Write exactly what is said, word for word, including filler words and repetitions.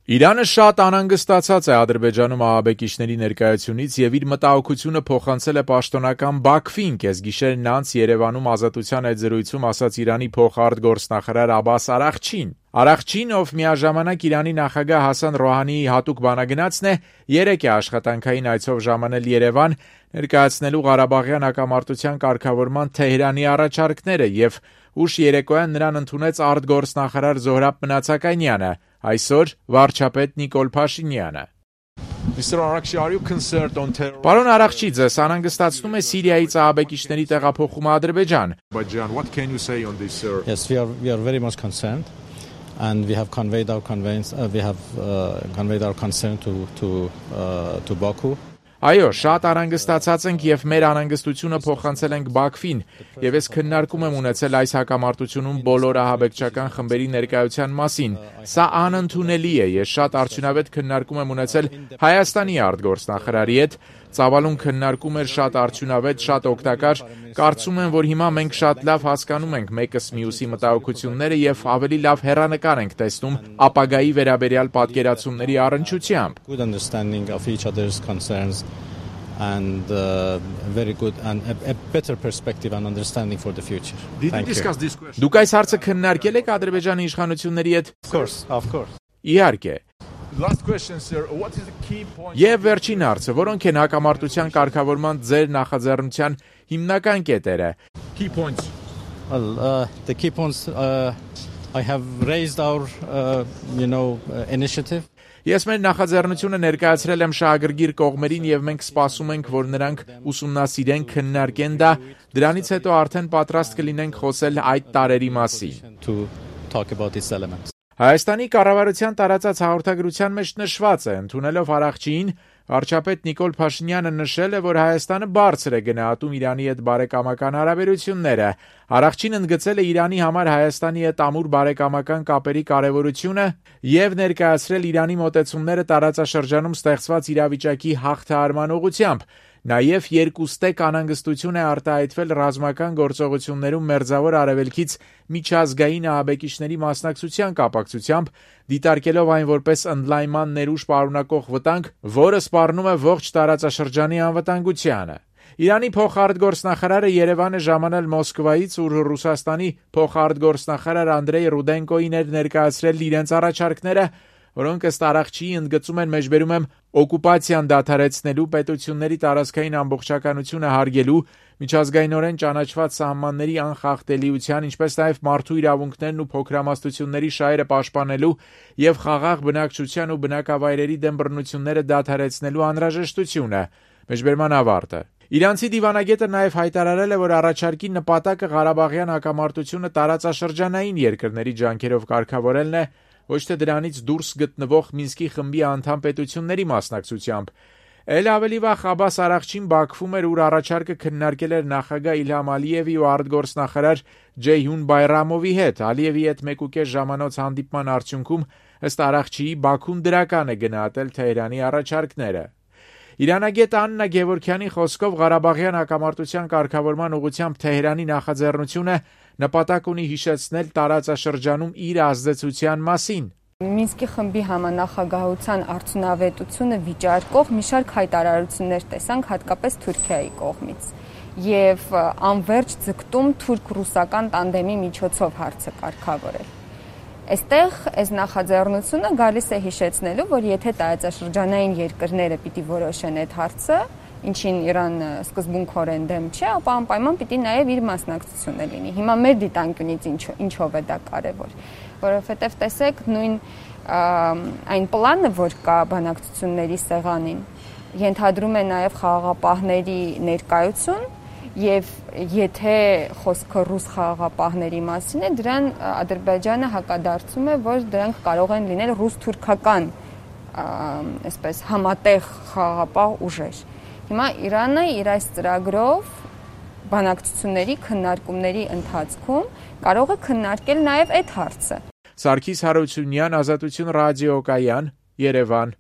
Իրանը շատ անհանգստացած է Ադրբեջանում ահաբեկիչների ներկայությունից եւ իր մտահոգությունը փոխանցել է պաշտոնական Բաքվին, կեսգիշերն անց Երևանում Ազատության այդ զրույցում ասաց Իրանի փոխարտգործնախարար Աբբաս Արաղչին։ Արաղչին, ով միաժամանակ Իրանի նախագահ Հասան Ռոհանիի հատուկ բանագնացն է, երեկ է աշխատանքային այցով ժամանել Երևան, ներկայացնելու Ղարաբաղյան հակամարտության կարգավորման Թեհրանի առաջարկները եւ ուշ երեկոյան նրան ընդունեց արտգործնախարար Զոհրաբ Մնացականյանը, այսօր վարչապետ Նիկոլ Փաշինյանը։ Պարոն Արաղչի, ձեզ անհանգստացնում է Սիրիայից ահաբեկիչների տեղափոխումը Ադրբեջան։ Yes, we are we are very much concerned and we have conveyed our conveyance uh, we have uh, conveyed our concern to to uh, to Baku. Այո, շատ անհանգստացած ենք եւ մեր անհանգստությունը փոխանցել ենք Բաքվին, եւ ես քննարկում եմ ունեցել այս հակամարտությունում բոլոր ահաբեկչական խմբերի ներկայության մասին։ Սա անընդունելի է, ես շատ արդյունավետ քննարկում եմ ունեցել Հայաստանի արտգործնախարարի հետ, ծավալուն քննարկում էր շատ արդյունավետ, շատ օգտակար, կարծում եմ, որ հիմա մենք շատ լավ հասկանում ենք մեկս մյուսի մտահոգությունները եւ ավելի լավ հեռանկար ենք տեսնում ապագայի վերաբերյալ պատկերացումների առնչությամբ։ Good understanding of each other's concerns and uh, very good and a, a better perspective and understanding for the future. Did you discuss this question? Դուք այս հարցը քննարկել եք Ադրբեջանի իշխանությունների հետ? Of course, of course. Իհարկե։ Last question, sir. What is the key point? Եվ վերջին հարցը, որոնք են հակամարտության կարգավորման ձեր նախաձեռնության հիմնական կետերը։ Key points. Well, uh, the key points uh, I have raised our uh, you know uh, initiative. Ես մեր նախաձեռնությունը ներկայացրել եմ շահագրգիռ կողմերին եւ մենք սպասում ենք, որ նրանք ուսումնասիրեն, քննարկեն դա, դրանից հետո արդեն պատրաստ կլինենք խոսել այդ տարերի մասին։ To talk about these elements. Հայաստանի կառավարության տարածած հաղորդագրության մեջ նշված է, ընդունելով Արաղչիին, վարչապետ Նիկոլ Փաշինյանը նշել է, որ Հայաստանը բարձր է գնահատում Իրանի հետ բարեկամական հարաբերությունները։ Արաղչին ընդգծել է Իրանի համար Հայաստանի հետ ամուր բարեկամական կապերի կարևորությունը եւ ներկայացրել Իրանի մոտեցումները տարածաշրջանում ստեղծված իրավիճակի հաղթահարման ուղղությամբ։ Նաև երկուստեք անհանգստություն է արտահայտվել ռազմական գործողություններում Մերձավոր Արևելքից միջազգային ահաբեկիչների մասնակցության կապակցությամբ, դիտարկելով այն որպես ընդլայնման ներուժ պարունակող վտանգ, որը սպառնում է ողջ տարածաշրջանի անվտանգությանը։ Իրանի փոխարտգործնախարարը Երևան է ժամանել Մոսկվայից, ուր Ռուսաստանի փոխարտգործնախարար Անդրեյ Ռուդենկոին էր ներկայացրել իրենց առաջարկները, որոնք ըստ Արաղչիի ընդգծում են մեջբերում եմ օկուպացիան դադարեցնելու, պետությունների տարածքային ամբողջականությունը հարգելու, միջազգայինորեն ճանաչված սահմանների անխախտելիության, ինչպես նաև մարդու իրավունքներն ու փոքրամասնությունների շահերը պաշտպանելու եւ խաղաղ բնակչության ու բնակավայրերի դեմ բռնությունները դադարեցնելու անհրաժեշտությունը։ Մեջբերման ավարտը։ Իրանցի դիվանագետը նաև հայտարարել է, որ առաջարկի նպատակը Ղարաբաղյան հակամարտությունը տարածաշրջանային երկրների ջանքերով կարգավորելն է, ոչ թե դրանից դուրս գտնվող Մինսկի խմբի անդամ պետությունների մասնակցությամբ։ Էլ ավելի վաղ Աբբաս Արաղչին Բաքվում էր, ուր առաջարկը քննարկել էր նախագահ Իլհամ Ալիևի ու արտգործնախարար Ջեյհուն Բայրամովի հետ։ Ալիևի հետ մեկուկես ժամանոց հանդիպման արդյունքում ըստ Արաղչիի Բաքուն դրական է գնահատել Թեհրանի առաջարկները։ Իրանագետ Աննա Գևորգյանի խոսքով Ղարաբաղյան հակամարտության կարգավորման ուղղությամբ Թեհրանի նախաձեռնությունը նպատակ ունի հիշեցնել տարածաշրջանում իր ազդեցության մասին։ Մինսկի խմբի համանախագահության արդյունավետությունը վիճարկող մի շարք հայտարարություններ տեսանք հատկապես Թուրքիայի կողմից եւ անվերջ ձգտում թուրք-ռուսական տանդեմի միջոցով հարցը կարգավորել։ Այստեղ այս նախաձեռնությունը գալիս է հիշեցնելու, որ եթե տարածաշրջանային երկրները պիտի որոշեն այդ հարցը, ինչին Իրանը սկզբունքորեն դեմ չէ, ապա անպայման պիտի նաև իր մասնակցությունը լինի։ Հիմա մեր դիտանկյունից ինչ, ինչով է դա կարևոր, որովհետև տեսեք նույն այն պլանը, որ կա բանակցությունների սեղանին, ենթադրում է նաև խաղաղապահների ներկայություն, եւ եթե խոսքը ռուս խաղաղապահների մասին է, դրան Ադրբեջանը հակադարձում է, որ դրանք կարող են լինել ռուս-թուրքական, այսպես համատեղ խաղաղապահ ուժեր։ Հիմա Իրանը իր այս ծրագրով բանակցությունների, քննարկումների ընթացքում կարող է քննարկել նաև այդ հարցը։ Սարգիս Հարությունյան, Ազատություն ռադիոկայան, Երևան։